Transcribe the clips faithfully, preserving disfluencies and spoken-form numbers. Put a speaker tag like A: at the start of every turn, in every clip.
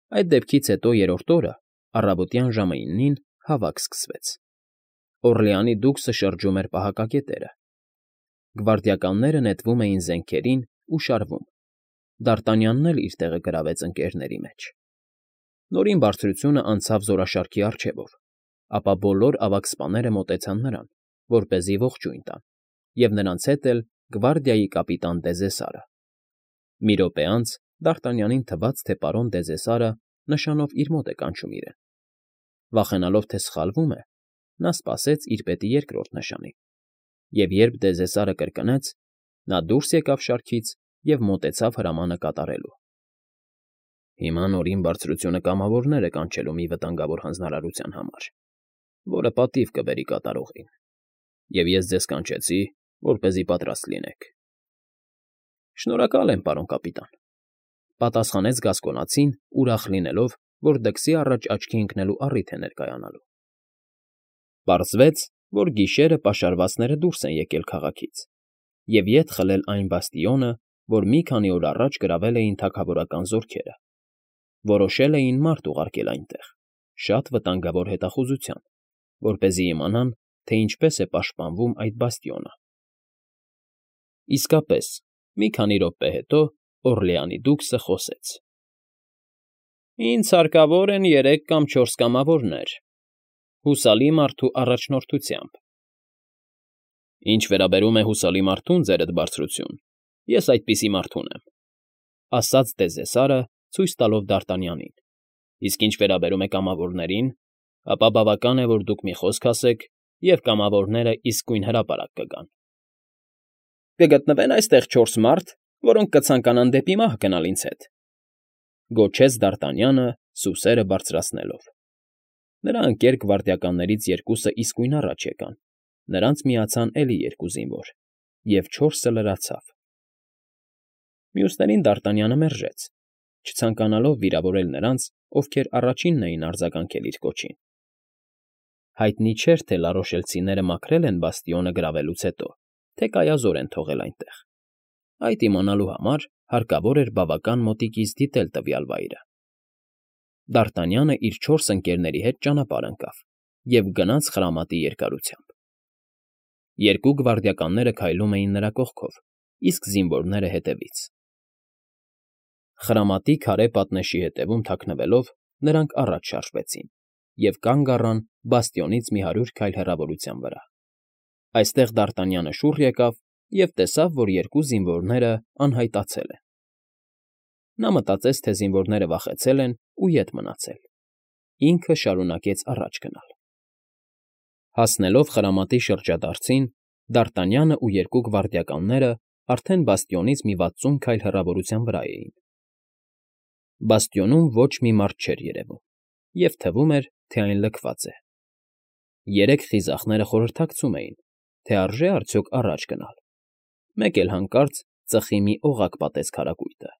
A: Այդ դեպքից հետո երրորդ օրը, առավոտյան ժամը իննին, հավաք սկսվեց. Օռլեանի դուքսը շրջում էր պահակակետերը, գվարդիականները նետվում էին զենքերին ու շարվում, Դարտանյանն էլ իր տեղը գրավեց ընկերների մեջ. նորին բարձրությունը անցավ զորաշարքի առջևով, ապա բոլոր ավագ սպաները մոտեցան նրան, որպեսզի ողջույն տան, և նրանց հետ էլ գվարդիայի կապիտան Դեզեսարը. մի րոպե անց Դարտանյանին թվաց, թե պարոն Դեզեսարը նշանով իր մոտ է կանչում իրեն. վախենալով, թե սխալվում է, նա սպասեց իր պետի երկրորդ նշանին, և երբ Դեզեսարը կրկնեց, նա դուրս եկավ շարքից և մոտեցավ հրամանը կատարելու։ Հիմա նորին բարձրությունը կամավորներ է կանչելու մի վտանգավոր հանձնարարության համար, որը պատիվ կբերի կատարողին, և ես ձեզ կանչեցի, որպեսզի պատրաստ լինեք։ Շնորհակալ եմ, պարոն կապիտան,֊ պատասխանեց Գասկոնացին, ուրախ լինելով, որ դքսի առաջ աչքի ընկնելու առիթ է ներկայանալու։ Պարզվեց, որ գիշերը պաշարվածները դուրս են եկել քաղաքից և ետ խլել այն բաստիոնը, որ մի քանի օր առաջ գրավել էին թագավորական զորքերը, որոշել էին մարդ ուղարկել այնտեղ, շատ վտանգավոր հետախուզության, որպեսզի իմանան, թե ինչպես է պաշտպանվում այդ բաստիոնը։ Իսկապես, մի քանի րոպե հետո Օռլեանի դուքսը խոսեց. «Ինձ հարկավոր են երեք կամ չորս կամավորներ, հուսալի մարդու առաջնորդությամբ»։ «Ինչ վերաբերում է հուսալի մարդուն, ձերդ բարձրություն, ես այդպիսի մարդ ունեմ,֊ ասաց Դեզեսարը, ցույց տալով Դարտանյանին,֊ իսկ ինչ վերաբերում է կամավորներին, ապա բավական է, որ դուք մի խոսք ասեք, և կամավորները իսկույն հրապարակ կգան»։ «Կգտնվեն այստեղ չորս մարդ, որոնք կցանկանան դեպի մահ գնալ ինձ հետ,֊ գոչեց Դարտանյանը՝ սուսերը բարձրացնելով։ Նրա ընկեր գվարդիականներից երկուսը իսկույն առաջ եկան, նրանց միացան էլի երկու զինվոր, և չորսը լրացավ։ Մյուսներին Դարտանյանը մերժեց, չցանկանալով վիրավորել նրանց, ովքեր առաջինն էին արձագանքել իր կոչին։ Հայտնի չէր, թե լարոշելցիները մաքրել են բաստիոնը գրավելուց հետո, թե կայազոր են թողել այնտեղ։ Այդ իմանալու համար հարկավոր էր բավական մոտիկից դիտել տվյալ վայրը։ Դարտանյանը իր չորս ընկերների հետ ճանապարհ ընկավ և գնաց խրամատի երկարությամբ։ Երկու գվարդիականները քայլում էին նրա կողքով, իսկ զինվորները հետևից։ Խրամատի քարե պատնեշի ետևում թաքնվելով՝ նրանք առաջ շարժվեցին և կանգ առան բաստիոնից մի հարյուր քայլ հեռավորության վրա։ Այստեղ Դարտանյանը շուռ եկավ և տեսավ, որ երկու զինվորները անհայտացել են։ Նա մտածեց, թե զինվորները վախեցել են ու ետ մնացել։ Ինքը շարունակեց առաջ գնալ։ Հասնելով խրամատի շրջադարձին, Դարտանյանը ու երկու գվարդիականները արդեն բաստիոնից մի վաթսուն քայլ հեռավորության վրա էին։ Բաստիոնում ոչ մի մարդ չէր երևում, և թվում էր, թե այն լքված է։ Երեք խիզախները խորհրդակցում էին, թե արժե՞ արդյոք առաջ գնալ։ Մեկ էլ հանկարծ ծխի մի օղակ պատեց քարակույտը,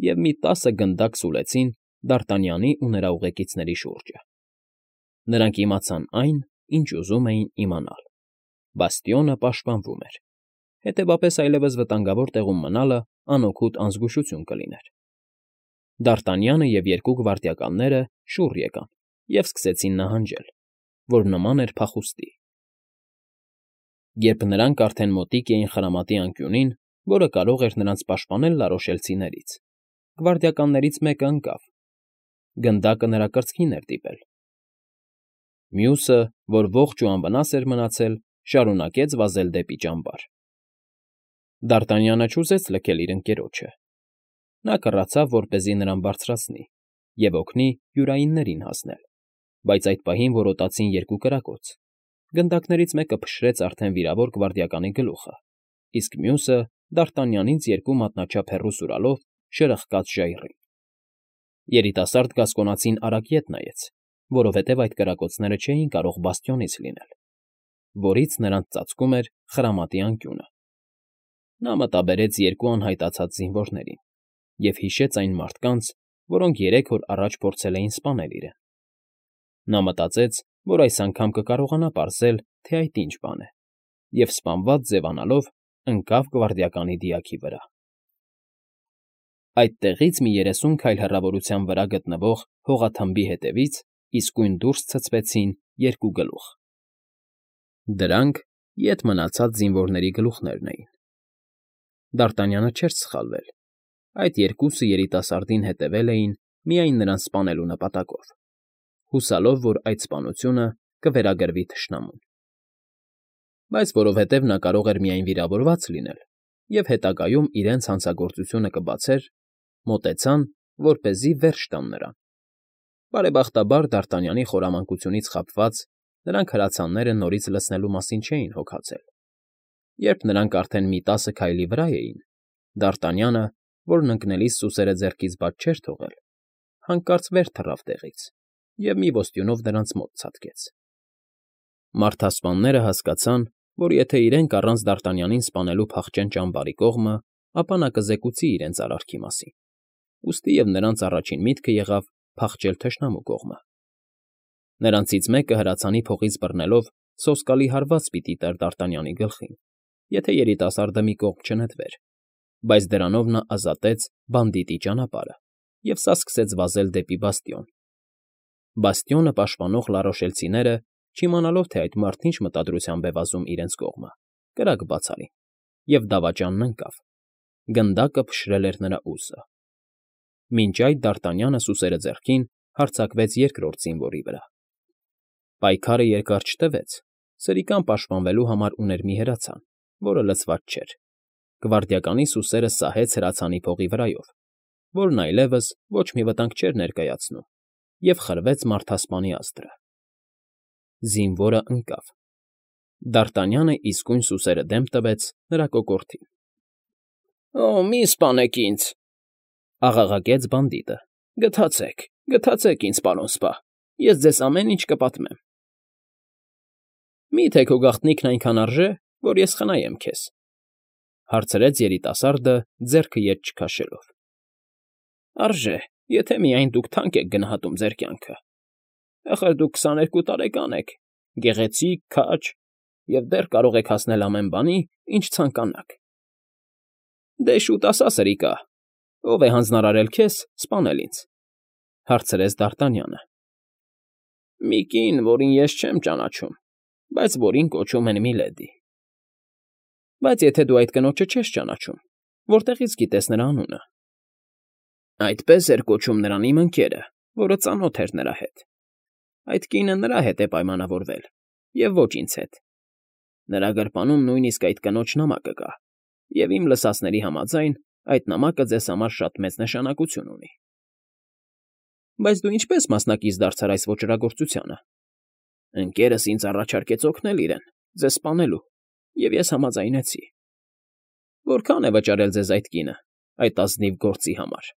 A: և մի տասը գնդակ սուլեցին Դարտանյանի ու նրա ուղեկիցների շուրջը։ Նրանք իմացան այն, ինչ ուզում էին իմանալ. բաստիոնը պաշտպանվում էր, հետևաբար այլևս վտանգավոր տեղում մնալը անօգուտ անզգուշություն կլիներ։ Դարտանյանը և երկու գվարդիականները շուռ եկան և սկսեցին նահանջել, որ նման էր փախուստի։ Երբ նրանք արդեն մոտիկ էին խրամատի անկյունին, որը կարող էր նրանց պաշտպանել լարոշելցիներից, գվարդիականներից մեկը ընկավ. գնդակը նրա կրծքին էր դիպել։ Մյուսը, որ ողջ ու անվնաս էր մնացել, շարունակեց վազել դեպի ճամբար։ Դարտանյանը չուզեց լքել իր ընկերոջը։ Նա կռացավ, որպեսզի նրան բարձրացնի և օգնի յուրայիններին հասնել, բայց այդ պահին որոտացին երկու կրակոց. գնդակներից մեկը փշրեց արդեն վիրավոր գվարդիականի գլուխը, իսկ մյուսը Դարտանյանից երկու մատնաչափ հեռու սուրալով շրխկաց ժայռին։ Երիտասարդ գասկոնացին արագ ետ նայեց, որովհետև այդ կրակոցները չէին կարող բաստիոնից լինել, որից նրանց ծածկում էր խրամատի անկյունը։ Նա մտաբերեց երկու անհայտացած զինվորներին և հիշեց այն մարդկանց, որոնք երեք օր առաջ փորձել էին սպանել իրեն։ Նա մտածեց, որ այս անգամ կկարողանա պարզել, թե այդ ինչ բան է, և սպանված ձևանալով ընկավ գվարդիականի դիակի վրա։ Այդտեղից մի երեսուն քայլ հեռավորության վրա գտնվող հողաթմբի հետևից իսկույն դուրս ցցվեցին երկու գլուխ. դրանք ետ մնացած զինվորների գլուխներն էին։ Դարտանյանը չէր սխալվել. այդ երկուսը երիտասարդին հետևել էին միայն նրան սպանելու նպատակով, հուսալով, որ այդ սպանությունը կվերագրվի թշնամուն։ Բայց որովհետև նա կարող էր միայն վիրավորված լինել և հետագայում իրենց հանցագործությունը կբացեր, մոտեցան, որպեսզի վերջ տան նրան։ Բարեբախտաբար Դարտանյանի խորամանկությունից խաբված նրանք հրացանները նորից լցնելու մասին չէին հոգացել։ Երբ նրանք արդեն մի տասը քայլի վրա էին, Դարտանյանը, որն ընկնելիս սուսերը ձեռքից բաց չէր թողել, հանկարծ վեր թռավ տեղից և մի ոստյունով նրանց մոտ ցատկեց։ Մարդասպանները հասկացան, որ եթե իրենք առանց Դարտանյանին սպանելու փախչեն ճամբարի կողմը, ապա նա կզեկուցի իրենց արարքի մասին, ուստի և նրանց առաջին միտքը եղավ փախչել թշնամու կողմը։ Նրանցից մեկը հրացանի փողից բռնելով սոսկալի հարված պիտի տար Դարտանյանի գլխին, եթե երիտասարդը մի կողմ չնետվեր, բայց դրանով նա ազատեց բանդիտի ճանապարհը և սա սկսեց վազել դեպի բաստիոն։ Բաստիոնը պաշտպանող լարոշելցիները, չիմանալով, թե այդ մարդն ինչ մտադրությամբ է վազում իրենց կողմը, կրակ բաց արին, և դավաճանն ընկավ. գնդակը փշրել էր նրա ուսը։ Մինչ այդ Դարտանյանը սուսերը ձեռքին հարձակվեց երկրորդ զինվորի վրա։ Պայքարը երկար չտևեց, սրիկան պաշտպանվելու համար ուներ մի հրացան, որը լցված չէր։ Գվարդիականի սուսերը սահեց հրացանի փողի վրայով, որն այլևս ոչ մի վտանգ չէր ներկայացնում, և խրվեց մարդասպանի ազդրը։ Զինվորը ընկավ։ Դարտանյանը իսկույն սուսերը դեմ տվեց նրա կոկորդին։ ֊ Օ, մի սպանեք ինձ,֊ աղաղակեց բանդիտը։֊ Գթացեք, գթացեք ինձ, պարոն սպա, ես ձեզ ամեն ինչ կպատմեմ։ ֊ Մի՞թե քո գաղտնիքն այնքան արժե, որ ես խնայեմ քեզ,֊ հարցրեց երիտասարդը ձեռքը ետ չքաշելով։ ֊ Արժե, եթե միայն դուք թանկ եք գնահատում ձեր կյանքը։ Ախր դուք քսաներկու տարեկան եք, գեղեցիկ, քաջ և դեռ կարող եք հասնել ամեն բանի, ինչ ցանկանաք։ ֊ Դե շուտ ասա, սրիկա, ո՞վ է հանձնարարել քեզ սպանել ինձ,֊ հարցրեց Դարտանյանը։ ֊ Մի կին, որին ես չեմ ճանաչում, բայց որին կոչում են Միլեդի։ ֊ Բայց եթե դու այդ կնոջը չես ճանաչում, որտեղի՞ց գիտես նրա անունը։ ֊ Այդպես էր կոչում նրան իմ ընկերը, որը ծանոթ էր նրա հետ։ Այդ կինը նրա հետ է պայմանավորվել, և ոչ ինձ հետ։ Նրա գրպանում նույնիսկ այդ կնոջ նամակը կա, և իմ լսածների համաձայն այդ նամակը ձեզ համար շատ մեծ նշանակություն ունի։ ֊ Բայց դու ինչպե՞ս մասնակից դարձար այս ոճրագործությանը։ ֊ Ընկերս ինձ առաջարկեց օգնել իրեն, ձեզ սպանելու, և ես համաձայնեցի։ ֊ Որքա՞ն է վճարել ձեզ այդ կինը այդ ազնիվ գործի համար։ ֊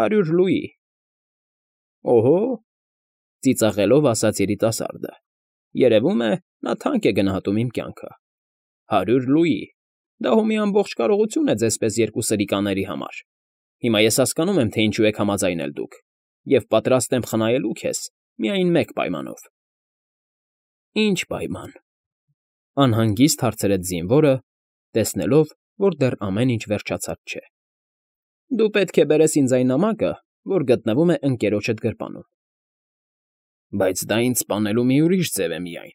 A: Հարյուր լուի։ ֊ Օհո,֊ ծիծաղելով ասաց երիտասարդը,֊ երևում է, նա թանկ է գնահատում իմ կյանքը։ Հարյուր լուի… Դա հո մի ամբողջ կարողություն է ձեզպես երկու սրիկաների համար։ Հիմա ես հասկանում եմ, թե ինչու եք համաձայնել դուք, և պատրաստ եմ խնայելու քեզ միայն մեկ պայմանով։ ֊ Ի՞նչ պայման,֊ անհանգիստ հարցրեց զինվորը, տեսնելով, որ դեռ ամեն ինչ վերջացած չէ։ ֊ Դու պետք է բերես ինձ այն նամակը, որ գտնվում է ընկերոջդ գրպանում։ ֊ Բայց դա ինձ սպանելու մի ուրիշ ձև է միայն,֊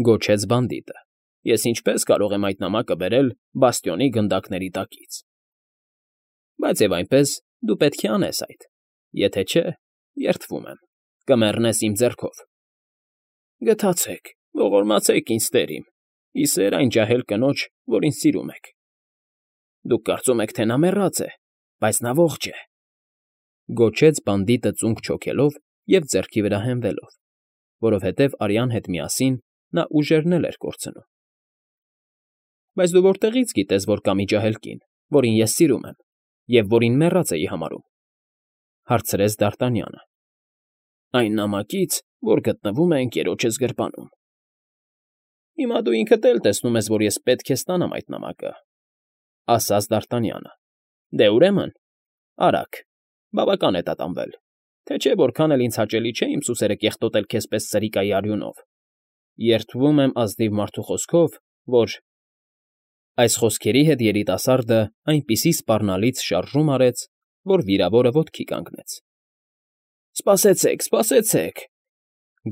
A: գոչեց բանդիտը։ Ես ինչպե՞ս կարող եմ այդ նամակը բերել բաստիոնի գնդակների տակից։ ֊ Բայց և այնպես դու պետք է անես այդ, եթե չէ, երդվում եմ, կմեռնես իմ ձեռքով։ ֊ Գթացեք, ողորմացեք ինձ, տեր իմ, ի սեր այն ջահել կնոջ, որին սիրում եք։ ֊ Դուք կարծում եք, թե նա մեռած է, բայց նա ողջ է,֊ գոչեց բանդիտը ծունկ չոքելով և ձեռքի վրա հենվելով, որովհետև արյան հետ միասին նա ուժերն էլ էր կորցնում։ ֊ Բայց դու որտեղի՞ց գիտես, որ կա մի ջահել կին, որին ես սիրում եմ, և որին մեռած էի համարում,֊ հարցրեց Դարտանյանը։ ֊ Այն նամակից, որ գտնվում է ընկերոջս գրպանում։ ֊ Հիմա դու ինքդ էլ տեսնում ես, որ ես պետք է ստանամ այդ նամակը,֊ ասաց Դարտանյանը։ ֊ Դե, ուրեմն, արագ, բավական է տատանվել, թե չէ որքան էլ ինձ հաճելի չէ իմ սուսերը կեղտոտել քեզ պես սրիկայի արյունով։ Երդվում եմ ազնիվ մարդու խոսքով, որ… Այս խոսքերի հետ երիտասարդը այնպիսի սպառնալից շարժում արեց, որ վիրավորը ոտքի կանգնեց։ ֊ Սպասեցեք, սպասեցեք,֊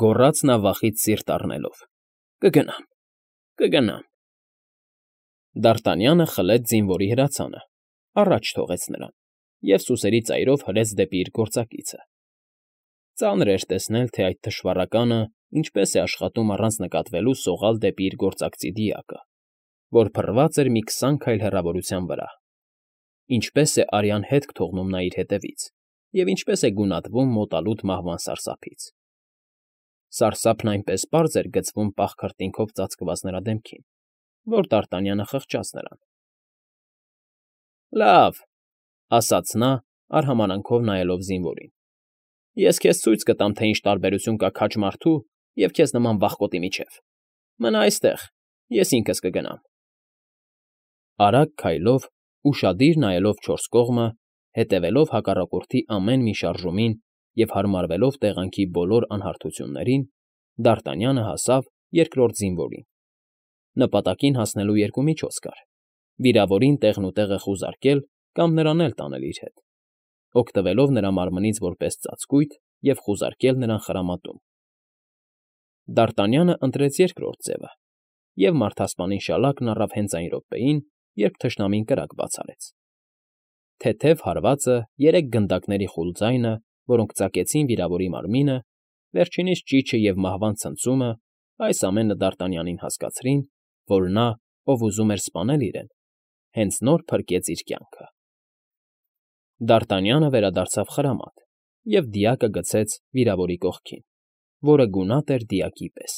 A: գոռաց նա վախից սիրտ առնելով։֊ Կգնամ, կգնամ… Դարտանյանը խլեց զինվորի հրացանը, առաջ թողեց նրան և սուսերի ծայրով հրեց դեպի իր գործակիցը։ Ծանր էր տեսնել, թե այդ թշվառականը ինչպես է աշխատում առանց նկատվելու սողալ դեպի իր գործակցի դիակը, որ փռված էր մի քսան քայլ հեռավորության վրա, ինչպես է արյան հետք թողնում նա իր հետևից և ինչպես է գունատվում մոտալուտ մահվան սարսափից։ Սարսափն այնպես պարզ էր գցվում պաղ քրտինքով ծածկված նրա դեմքին, որ Դարտանյանը խղճաց նրան։ ֊ Լավ,֊ ասաց նա, արհամարհանքով նայելով զինվորին։֊ Ես քեզ ցույց կտամ, թե ինչ տարբերություն կա քաջ մարդու և քեզ նման վախկոտի միջև։ Մնա այստեղ, ես ինքս կգնամ… Արագ քայլով, ուշադիր նայելով չորս կողմը, հետևելով հակառակորդի ամեն մի շարժումին և հարմարվելով տեղանքի բոլոր անհարթություններին, Դարտանյանը հասավ երկրորդ զինվորին։ Նպատակին հասնելու երկու միջոց կար՝ վիրավորին տեղնուտեղը խուզարկել կամ նրան էլ տանել իր հետ, օգտվելով նրա մարմնից որպես ծածկույթ և խուզարկել նրան խրամատում։ Դարտանյանը ընտրեց երկրորդ ձևը, և մարդասպանի շալակն առավ հենց այն րոպեին, երբ թշնամին կրակ բաց արեց։ Թեթև հարվածը, երեք գնդակների խուլ ձայնը, որոնք ծակեցին վիրավորի մարմինը, վերջինիս ճիչը և մահվան ցնցումը, այս ամենը Դարտանյանին հասկացրին, որ նա, ով ուզում էր սպանել իրեն, հենց նոր փրկեց իր կյանքը։ Դարտանյանը վերադարձավ խրամատ և դիակը գցեց վիրավորի կողքին, որը գունատ էր դիակի պես։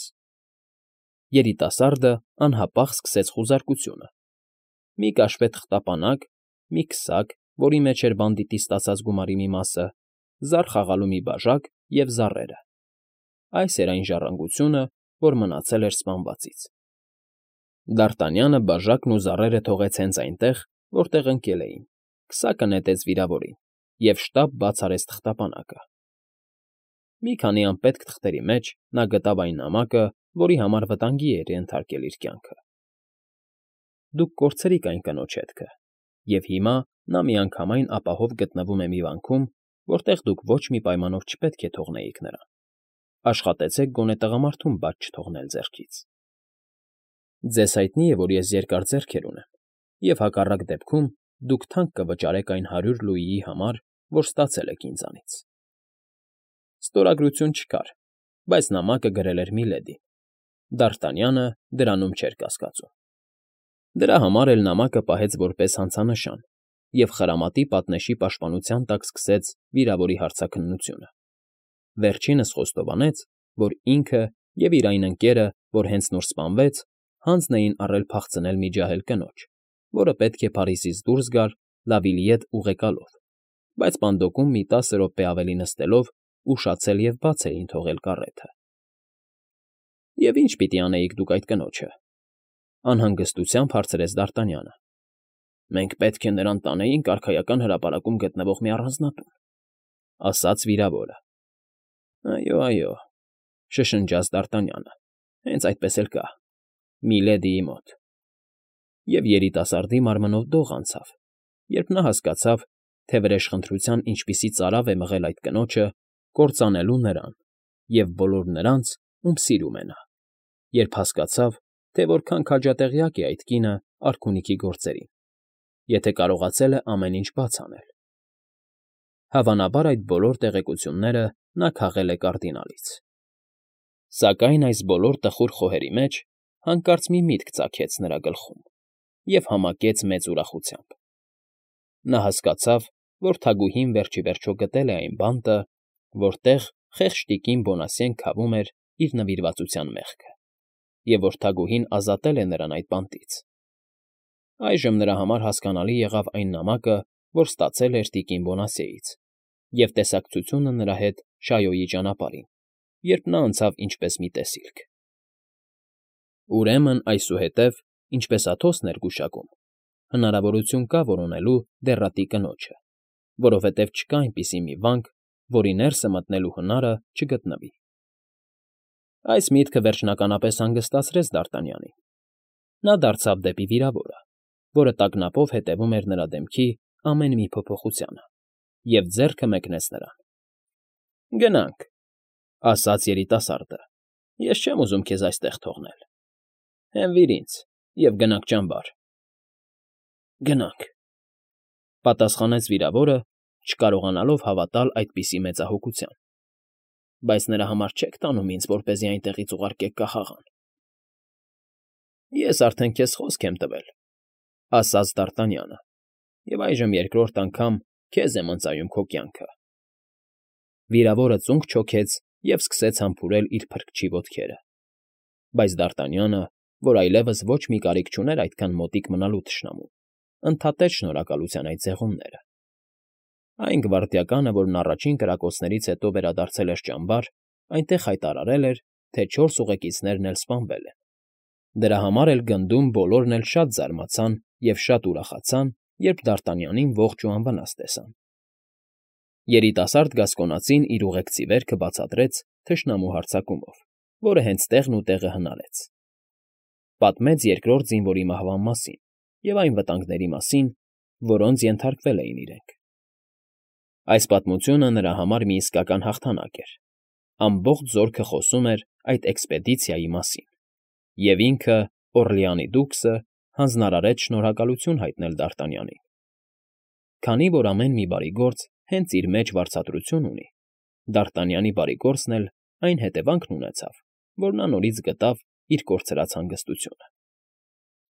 A: Երիտասարդը անհապաղ սկսեց խուզարկությունը. մի կաշվե թղթապանակ, մի քսակ, որի մեջ էր բանդիտի ստացած գումարի մի մասը, զառ խաղալու մի բաժակ և զառերը… Այս էր այն ժառանգությունը, որ մնացել էր սպանվածից։ Դարտանյանը բաժակն ու զառերը թողեց հենց այնտեղ, որտեղ ընկել էին, քսակը նետեց վիրավորին և շտապ բաց արեց թղթապանակը։ Մի քանի անպետք թղթերի մեջ նա գտավ այն նամակը, որի համար վտանգի էր ենթարկել իր կյանքը։ Դուք կորցրիք այն կնոջ հետքը, և հիմա նա միանգամայն ապահով գտնվում է մի վանքում, որտեղ դուք ոչ մի պայմանով չպետք է թողնեիք նրան. աշխատեցեք գոնե տղամարդուն բաց չթողնել ձեռքից։ Ձեզ հայտնի է, որ ես երկար ձեռքեր ունեմ, և հակառակ դեպքում դուք թանկ կվճարեք այն հարյուր լուիի համար, որ ստացել եք ինձանից… Ստորագրություն չկար, բայց նամակը գրել էր միլեդին։ Դարտանյանը դրանում չէր կասկածում։ Դրա համար էլ նամակը պահեց որպես հանցանշան և խրամատի պատնեշի պաշտպանության տակ սկսեց վիրավորի հարցաքննությունը։ Վերջինս խոստովանեց, որ ինքը և իր այն ընկերը, որ հենց նոր սպանվեց, հանձն էին առել փախցնել մի ջահել կնոջ, որը պետք է Փարիզից դուրս գար Լավիլիետ ուղեկալով, բայց պանդոկում մի տասը րոպե ավելի նստելով ուշացել և բաց էին թողել կառեթը։ ֊ Եվ ի՞նչ պիտի անեիք դուք այդ կնոջը,֊ անհանգստությամբ հարցրեց Դարտանյանը։ ֊ Մենք պետք է նրան տանեինք արքայական հրապարակում գտնվող մի առանձնատուն,֊ ասաց վիրավորը։ ֊ Այո, այո,֊ շշնջաց Դարտանյանը,֊ հենց այդպես էլ կա, միլեդիի մոտ… Եվ երիտասարդի մարմնով դող անցավ, երբ նա հասկացավ, թե վրեժխնդրության ինչպիսի ծարավ է մղել այդ կնոջը կործանելու նրան և բոլոր նրանց, ում սիրում է նա, երբ հասկացավ, թե որքան քաջատեղյակ է այդ կինը արքունիքի գործերին, եթե կարողացել է ամեն ինչ բաց անել… Հավանաբար այդ բոլոր տեղեկությունները նա քաղել է կարդինալից։ Սակայն այս բոլոր տխուր խոհերի մեջ հանկարծ մի միտք ծագեց նրա գլխում և համակեց մեծ ուրախությամբ. նա հասկացավ, որ թագուհին վերջիվերջո գտել է այն բանտը, որտեղ խեղճ տիկին Բոնասյեն քավում էր իր նվիրվածության մեղքը, և որ թագուհին ազատել է նրան այդ բանտից։ Այժմ նրա համար հասկանալի եղավ այն նամակը, որ ստացել էր տիկին Բոնասյեից, և տեսակցությունը նրա հետ Շայոյի ճանապարհին, երբ նա անցավ ինչպես մի տեսիլք։ Ուրեմն, այսուհետև, ինչպես Աթոսն էր գուշակում, հնարավորություն կա որոնելու դեռատի կնոջը, որովհետև չկա այնպիսի մի վանք, որի ներսը մտնելու հնարը չգտնվի։ Այս միտքը վերջնականապես հանգստացրեց Դարտանյանին։ Նա դարձավ դեպի վիրավորը, որը տագնապով հետևում էր նրա դեմքի ամեն մի փոփոխությանը, և ձեռքը մեկնեց նրան։ ֊ Գնանք,֊ ասաց երիտասարդը։֊ Ես չեմ ուզում քեզ այստեղ թողնել։ Հենվիր ինձ և գնանք ճամբար։ ֊ Գնանք,֊ պատասխանեց վիրավորը, չկարողանալով հավատալ այդպիսի մեծահոգության։֊ Բայց նրա համար չեք տանում ինձ, որպեսզի այնտեղից ուղարկեք կախաղան։ ֊ Ես արդեն քեզ խոսք եմ տվել,֊ ասաց Դ'Արտանյանը,֊ և այժմ երկրորդ անգամ քեզ եմ ընծայում քո կյանքը։ Վիրավորը ծունկ չոքեց և սկսեց համբուրել իր փրկչի ոտքերը, բայց Դ'Արտանյանը, որ այլևս ոչ մի կարիք չուներ այդքան մոտիկ մնալու թշնամուն, ընդհատեց շնորհակալության այդ ձեղումները։ Այն գվարդիականը, որն առաջին կրակոցներից հետո վերադարձել էր ճամբար, այնտեղ հայտարարել էր, թե չորս ուղեկիցներն էլ սպանվել են։ Դրա համար էլ գնդում բոլորն էլ շատ զարմացան և շատ ուրախացան, երբ Դ'Արտանյանին ողջ ու անվնաս տեսան։ Երիտասարդ գասկոնացին իր ուղեկցի վերքը բացատրեց թշնամու հարձակումով, որը հենց տեղն ու տեղը հնարեց։ Պատմեց երկրորդ զինվորի մահվան մասին և այն վտանգների մասին, որոնց ենթարկվել էին իրենք։ Այս պատմությունը նրա համար մի իսկական հաղթանակ էր։ Ամբողջ զորքը խոսում էր այդ էքսպեդիցիայի մասին, և ինքը, Օռլեանի դուքսը, հանձնարարեց շնորհակալություն հայտնել Դ'Արտանյանին։ Քանի որ ամեն մի բարի գործ հենց իր մեջ վարձատրություն ունի, Դ'Արտանյանի բարի գործն էլ այն հետևանքն ունեցավ, որ նա նորից գտավ իր կորցրած հանգստությունը։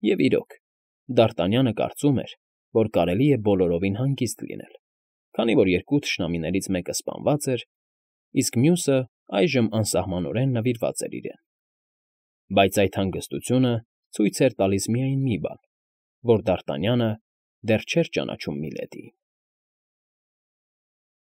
A: Եվ իրոք, Դ'Արտանյանը կարծում էր, որ կարելի է բոլորովին հանգիստ լինել, քանի որ երկու թշնամիներից մեկը սպանված էր, իսկ մյուսը այժմ անսահմանորեն նվիրված էր իրեն։ Բայց այդ հանգստությունը ցույց էր տալիս միայն մի բան, որ Դ'Արտանյանը դեռ չէր ճանաչում Միլեդիին։